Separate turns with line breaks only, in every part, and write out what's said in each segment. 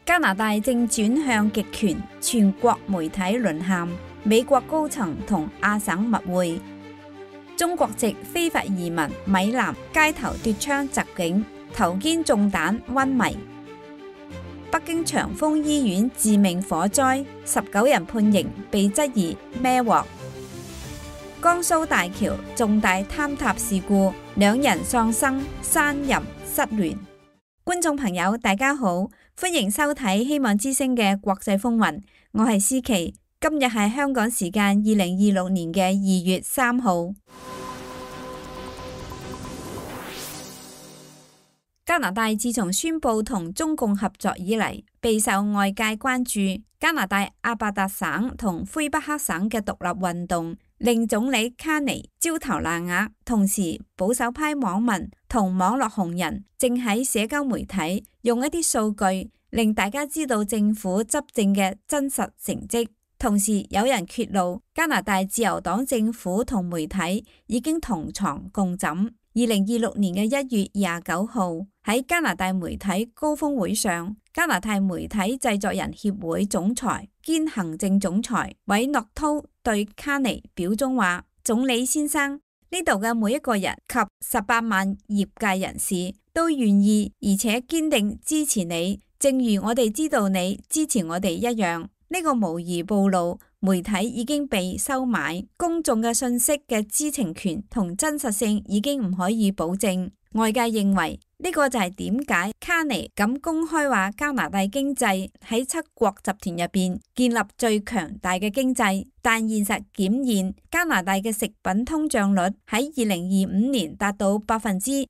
加拿大正轉向極權，全國媒體淪陷，美國高層同亞省密會。中國籍非法移民米南街頭奪槍襲警，頭肩中彈昏迷。北京長峰醫院致命火災，19人判刑，被質疑孭鑊。江蘇大橋重大坍塌事故，2人喪生，3人失聯。觀眾朋友，大家好，歡迎收睇希望之聲嘅國際風雲，我係思琪。今日係香港時間2026年嘅2月3號。加拿大自從宣布同中共合作以嚟，備受外界關注。加拿大阿伯達省同魁北克省嘅獨立運動令總理卡尼焦頭爛額，同時保守派網民同網絡紅人正喺社交媒體用一啲數據令大家知道政府執政嘅真實成績。同時有人揭露加拿大自由黨政府同媒體已經同床共枕。2026年嘅1月29號喺加拿大媒體高峰會上，加拿大媒體製作人協會總裁兼行政總裁韋諾濤對卡尼表忠話：總理先生，呢度嘅每一個人及18萬業界人士都願意而且堅定支持你，正如我哋知道你支持我哋一樣。呢個無疑暴露媒體已經被收買，公眾嘅信息嘅知情權同真實性已經唔可以保證。外界認為呢個就係點解卡尼咁公開話加拿大經濟喺7國集團入邊建立最強大嘅經濟，但現實檢驗加拿大嘅食品通脹率喺2025年達到6.2%，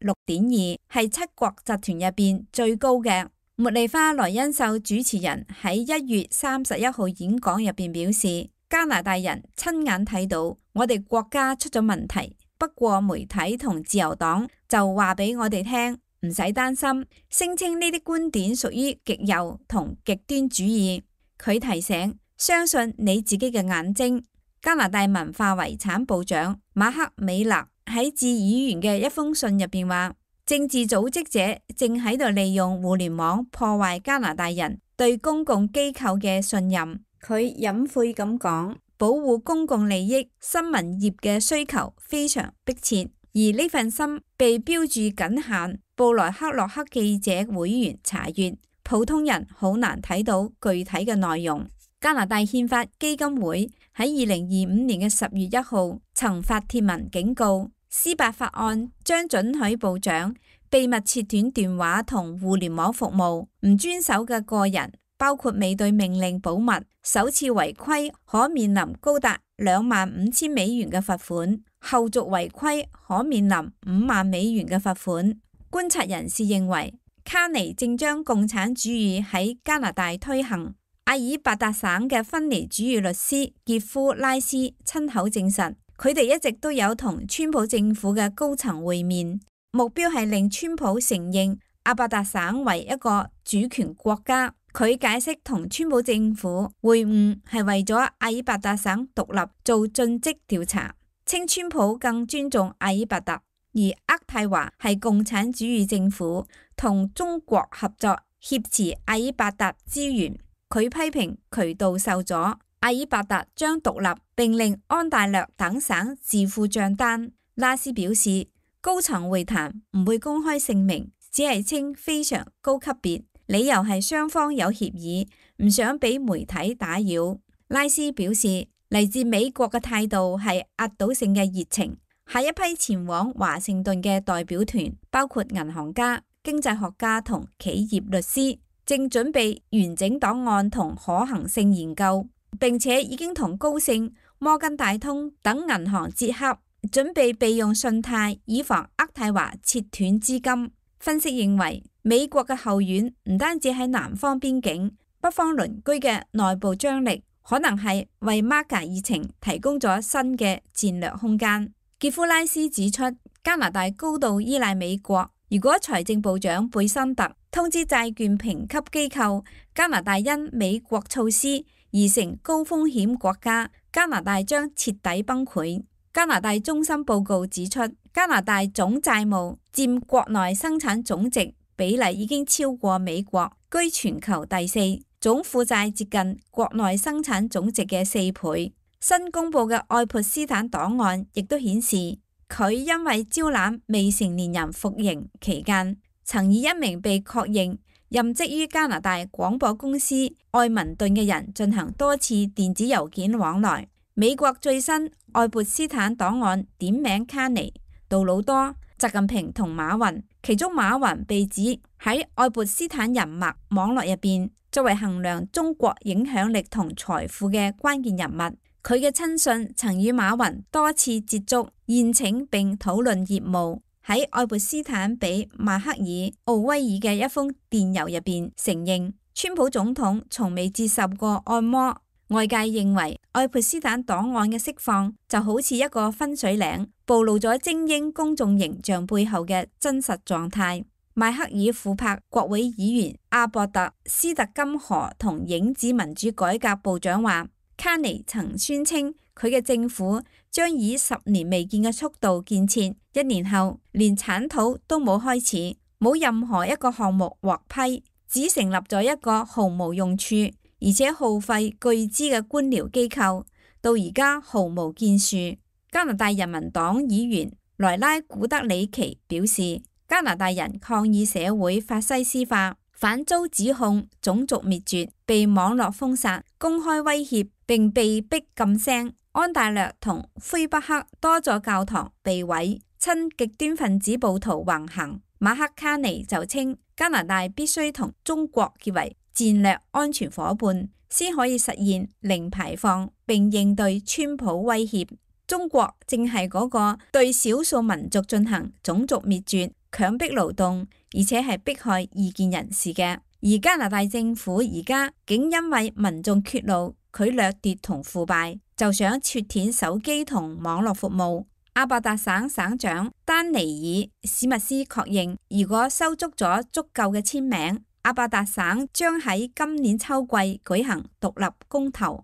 係7國集團入邊最高嘅。茉莉花萊恩秀主持人喺1月31號演講入邊表示，加拿大人親眼睇到我哋國家出咗問題，不過媒體同自由黨就話俾我哋聽唔使擔心，聲稱呢啲觀點屬於極右同極端主義。佢提醒，相信你自己嘅眼睛。加拿大文化遺產部長馬克美勒喺致議員嘅一封信入邊話，政治組織者正喺度利用互聯網破壞加拿大人對公共機構嘅信任。佢隱晦咁講，保護公共利益新聞業嘅需求非常迫切，而呢份心被標注僅限布萊克洛克記者會員查閱，普通人好難睇到具體嘅內容。加拿大憲法基金會喺2025年嘅10月1號曾發帖文警告，司法法案將准許部長秘密切斷電話同互聯網服務，唔遵守嘅個人，包括未對命令保密，首次違規可面臨高達25,000美元嘅罰款，後續違規可面臨5萬美元嘅罰款。觀察人士認為，卡尼正將共產主義喺加拿大推行。阿爾伯達省嘅分離主義律師傑夫拉斯親口證實，佢哋一直都有同川普政府嘅高層會面，目標係令川普承認阿伯達省為一個主權國家。佢解釋同川普政府會晤係為咗阿爾伯達省獨立做盡職調查，稱川普更尊重阿爾伯達，而渥太華係共產主義政府同中國合作挾持阿爾伯達資源。佢批評渠道受阻，阿爾伯達將獨立並令安大略等省自負賬單。拉斯表示，高層會談唔會公開姓名，只係稱非常高級別，理由係雙方有協議，唔想俾媒體打擾。拉斯表示，嚟自美國嘅態度係壓倒性嘅熱情。下一批前往華盛頓嘅代表團包括銀行家、經濟學家同企業律師，正準備完整檔案同可行性研究，並且已經同高盛、摩根大通等銀行接洽，準備備用信貸以防渥太華切斷資金。分析認為，美國嘅後院唔單止喺南方邊境，北方鄰居嘅內部張力可能係為馬加議程提供咗新嘅戰略空間。傑夫拉斯指出，加拿大高度依賴美國，如果財政部長貝森特通知債券評級機構加拿大因美國措施而成高風險國家，加拿大將徹底崩潰。加拿大中心報告指出，加拿大總債務佔國內生產總值比例已經超過美國，居全球第4，總負債接近國內生產總值嘅4倍。新公布嘅愛潑斯坦檔案亦都顯示，佢因為招攬未成年人服刑期間，曾以一名被確認任職於加拿大廣播公司愛民頓嘅人進行多次電子郵件往來。美國最新愛潑斯坦檔案點名卡尼、杜魯多、習近平同馬雲，其中馬雲被指喺愛潑斯坦人脈網絡入邊作為衡量中國影響力同財富嘅關鍵人物。佢嘅親信曾與馬雲多次接觸、宴請並討論業務。喺愛潑斯坦俾邁克爾·奧威爾嘅一封電郵入邊承認，川普總統從未接受過按摩。外界認為愛潑斯坦檔案嘅釋放就好似一個分水嶺，暴露咗精英公眾形象背後嘅真實狀態。邁克爾琥珀國會議員阿博特·斯特金河同影子民主改革部長話，卡尼曾宣稱佢嘅政府將以10年未見嘅速度建設，1年後連鏟土都冇開始，冇任何一個項目獲批，只成立咗一個毫無用處而且耗費巨資嘅官僚機構，到而家毫無建樹。加拿大人民黨議員萊拉古德里奇表示，加拿大人抗議社會法西斯化，反遭指控種族滅絕，被網絡封殺、公開威脅並被逼禁聲。安大略同魁北克多座教堂被毀，親極端分子暴徒橫行。馬克卡尼就稱，加拿大必須同中國結為戰略安全夥伴，先可以實現零排放並應對川普威脅。中國正係嗰個對少數民族進行種族滅絕、強迫勞動，而且係迫害異見人士嘅。而加拿大政府而家竟因為民眾揭露佢掠奪同腐敗，就想切斷手機同網絡服務。阿伯達省省長丹尼爾史密斯確認，如果收足咗足夠嘅簽名，阿伯達省將喺今年秋季舉行獨立公投。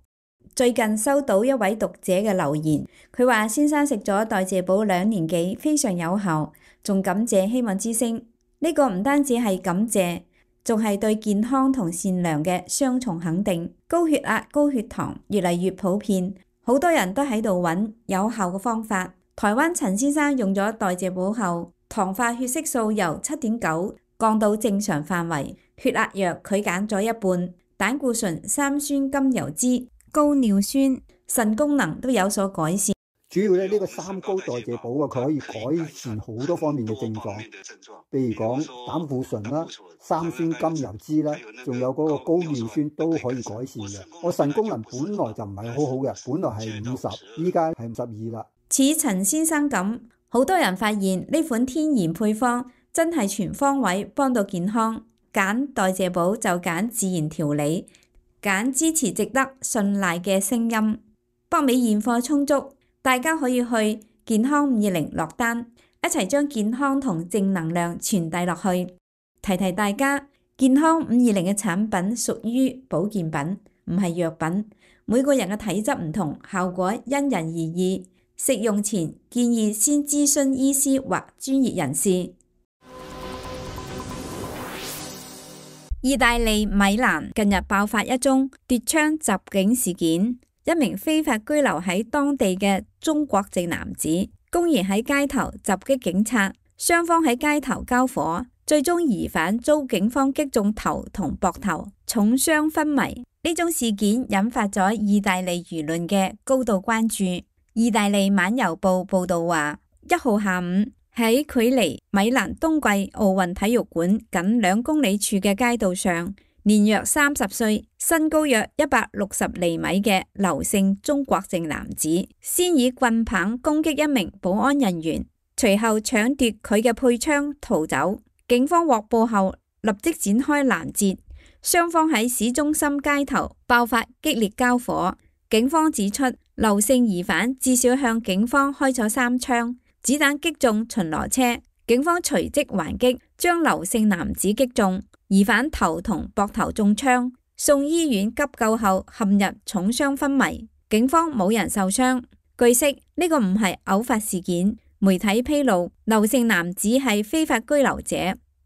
最近收到一位讀者嘅留言，佢話先生食咗代謝寶2年幾，非常有效，仲感謝希望之聲。呢個唔單止係感謝，仲係對健康同善良嘅雙重肯定。高血壓、高血糖越嚟越普遍，好多人都喺度揾有效嘅方法。台灣陳先生用咗代謝寶後，糖化血色素由7.9降到正常範圍，血壓藥佢減咗一半，膽固醇、三酸甘油酯、高尿酸、腎功能都有所改善。
主要咧呢個三高代謝寶啊，佢可以改善好多方面嘅症狀，譬如講膽固醇啦、三酸甘油酯啦，仲有嗰個高尿酸都可以改善嘅。我腎功能本來就唔係好好嘅，本來係50，依家係52啦。
似陳先生咁，好多人發現呢款天然配方真係全方位幫到健康。揀代謝寶就揀自然調理，揀支持值得信賴嘅聲音。北美現貨充足，大家可以去健康520落單，一齊將健康同正能量傳遞落去。提提大家，健康520嘅產品屬於保健品，唔係藥品。每個人嘅體質唔同，效果因人而異。食用前建議先諮詢醫師或專業人士。意大利米蘭近日爆發一宗奪槍襲警事件，一名非法居留喺當地嘅中國籍男子公然喺街頭襲擊警察，雙方喺街頭交火，最終疑犯遭警方擊中頭同膊頭，重傷昏迷。呢宗事件引發咗意大利輿論嘅高度關注。意大利晚郵報報道話，1號下午喺距離米蘭冬季奧運體育館僅2公里處嘅街道上，年約30歲、身高約160厘米嘅劉姓中國籍男子，先以棍棒攻擊一名保安人員，隨後搶奪佢嘅配槍逃走。警方獲報後立即展開攔截，雙方喺市中心街頭爆發激烈交火。警方指出，劉姓疑犯至少向警方開咗3槍，子彈擊中巡邏車。警方隨即還擊，將劉姓男子擊中，疑犯頭同膊頭中槍，送醫院急救後陷入重傷昏迷。警方冇人受傷。據悉，呢個唔係偶發事件。媒體披露，劉姓男子係非法居留者，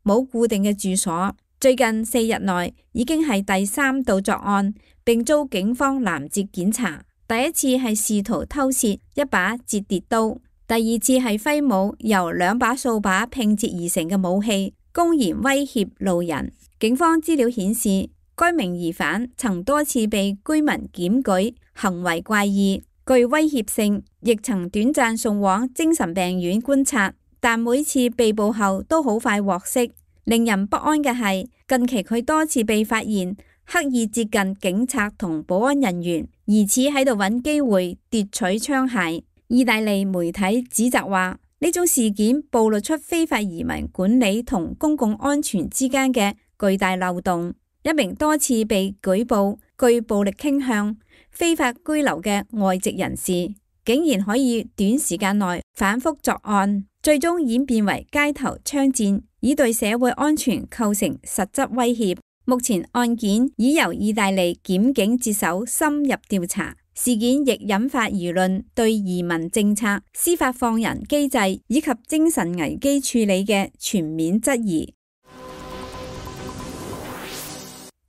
冇固定嘅住所。最近4日內已經係第3度作案，並遭警方攔截檢查。第一次係試圖偷竊一把折疊刀，第二次係揮舞由2把掃把拼接而成嘅武器，公然威脅路人。警方資料顯示，該名疑犯曾多次被居民檢舉，行為怪異，具威脅性，亦曾短暫送往精神病院觀察，但每次被捕後都好快獲釋。令人不安嘅係，近期佢多次被發現刻意接近警察同保安人員，疑似喺度揾機會奪取槍械。意大利媒體指責話，呢種事件暴露出非法移民管理同公共安全之間嘅巨大漏洞。一名多次被舉報具暴力傾向、非法居留嘅外籍人士，竟然可以短時間內反覆作案，最終演變為街頭槍戰，以對社會安全構成實質威脅。目前案件已由意大利檢警接手深入調查，事件亦引發輿論對移民政策、司法放人機制以及精神危機處理嘅全面質疑。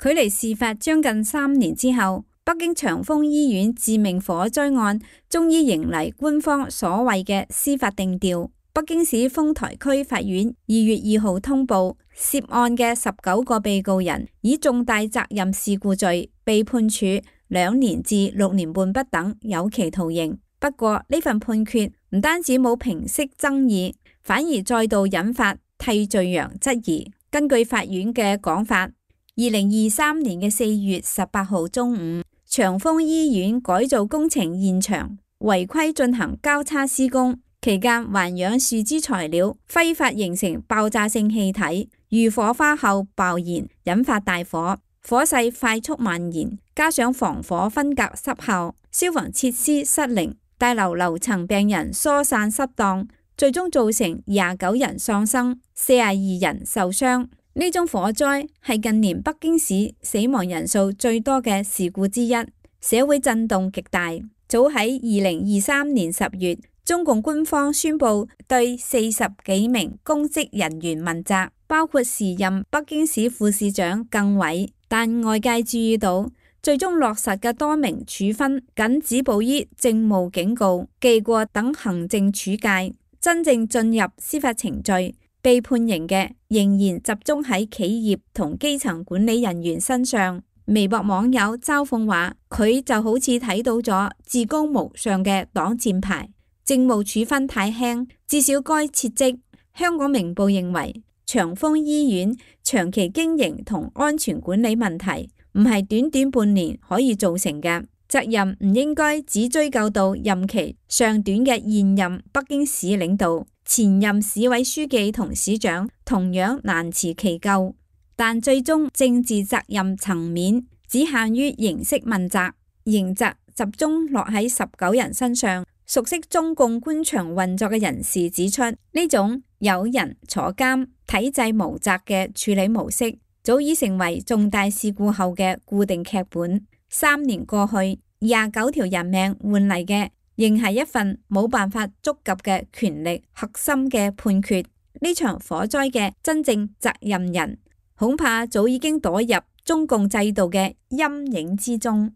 距離事發將近3年之後，北京長峰醫院致命火災案終於迎嚟官方所謂嘅司法定調。北京市豐台區法院2月2號通報，涉案嘅19個被告人以重大責任事故罪被判處2年至6年半不等有期徒刑。不過呢份判決唔單止冇平息爭議，反而再度引發替罪羊質疑。根據法院嘅講法，2023年嘅4月18號中午，長峰醫院改造工程現場違規進行交叉施工。期間環氧樹脂材料揮發形成爆炸性氣體，遇火花後爆燃，引發大火，火勢快速蔓延，加上防火分隔失效，消防設施失靈，大樓樓層病人疏散失當，最終造成29人喪生，42人受傷。呢宗火災係近年北京市死亡人數最多嘅事故之一，社會震動極大。早喺2023年10月，中共官方宣布對40幾名公職人員問責，包括時任北京市副市長靳偉。但外界注意到，最終落實嘅多名處分僅止步於政務警告、記過等行政處戒，真正進入司法程序被判刑嘅仍然集中喺企業同基層管理人員身上。微博網友嘲諷話，佢就好似睇到咗至高無上嘅擋箭牌。政務處分太輕，至少該撤職。香港明報認為，長峰醫院長期經營同安全管理問題唔係短短半年可以造成嘅，責任唔應該只追究到任期尚短嘅現任北京市領導，前任市委書記同市長同樣難辭其咎。但最終政治責任層面只限於形式問責，刑責集中落喺19人身上。熟悉中共官場運作嘅人士指出，呢種有人坐監、體制無責嘅處理模式，早已成為重大事故後嘅固定劇本。3年過去，29條人命換嚟嘅，仍係一份冇辦法觸及嘅權力核心嘅判決。呢場火災嘅真正責任人，恐怕早已經躲入中共制度嘅陰影之中。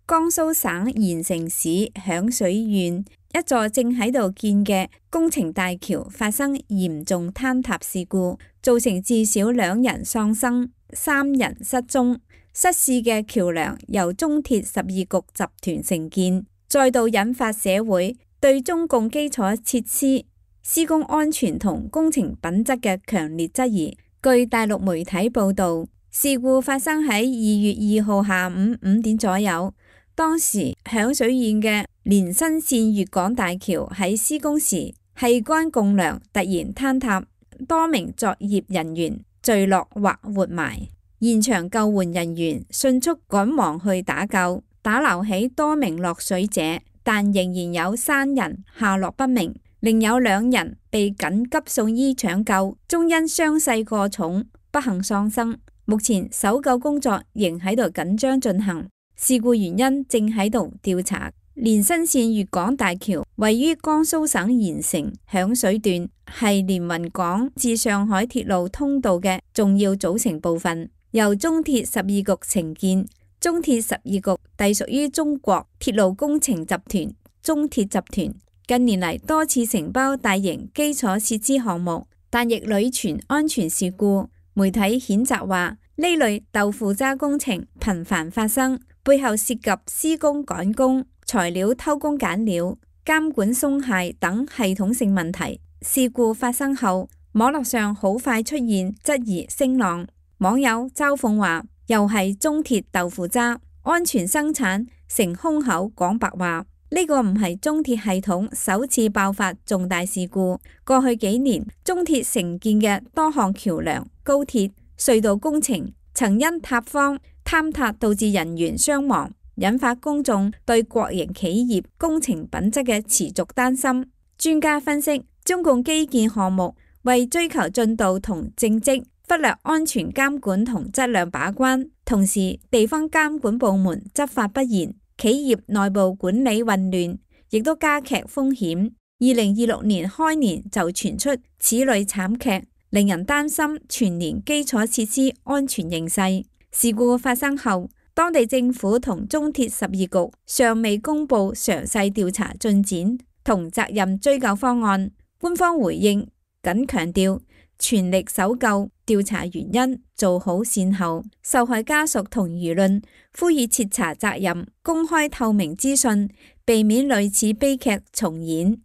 江蘇省鹽城市響水縣一座正喺度建嘅工程大橋發生嚴重坍塌事故，造成至少2人喪生、3人失蹤。失事嘅橋樑由中鐵12局集團承建，再度引發社會對中共基礎設施施工安全同工程品質嘅強烈質疑。據大陸媒體報道，事故發生喺2月2號下午5點左右。當時響水縣嘅連新線粵港大橋喺施工時，氣幹共樑突然坍塌，多名作業人員墜落或活埋。現場救援人員迅速趕忙去打救，打撈起多名落水者，但仍然有3人下落不明，另有2人被緊急送醫搶救，終因傷勢過重不幸喪生。目前搜救工作仍喺度緊張進行。事故原因正喺度調查。連新線粵港大橋位於江蘇省鹽城響水段，係連雲港至上海鐵路通道嘅重要組成部分，由中鐵12局承建。中鐵12局隸屬於中國鐵路工程集團中鐵集團，近年嚟多次承包大型基礎設施項目，但亦屢傳安全事故。媒體譴責話，呢類豆腐渣工程頻繁發生，背後涉及施工趕工、材料偷工減料、監管鬆懈等系統性問題。事故發生後，網絡上好快出現質疑聲浪，網友嘲諷話，又係中鐵豆腐渣，安全生產成空口講白話。呢個唔係中鐵系統首次爆發重大事故，過去幾年中鐵承建嘅多項橋樑、高鐵、隧道工程曾因塌方、坍塌導致人員傷亡，引發公眾對國營企業工程品質嘅持續擔心。專家分析，中共基建項目為追求進度同政績，忽略安全監管同質量把關，同時地方監管部門執法不嚴，企業內部管理混亂，亦都加劇風險。2026年開年就傳出此類慘劇，令人擔心全年基礎設施安全形勢。事故發生後，當地政府同中鐵12局尚未公布詳細調查進展同責任追究方案。官方回應僅強調全力搜救、調查原因，做好善後。受害家屬同輿論呼籲徹查責任，公開透明資訊，避免類似悲劇重演。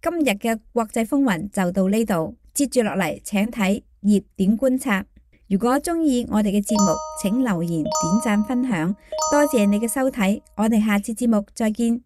今日嘅國際風雲就到呢度，接住落嚟請睇熱點觀察。如果鍾意我哋嘅節目，請留言、點讚、分享，多謝你嘅收睇，我哋下次節目再見。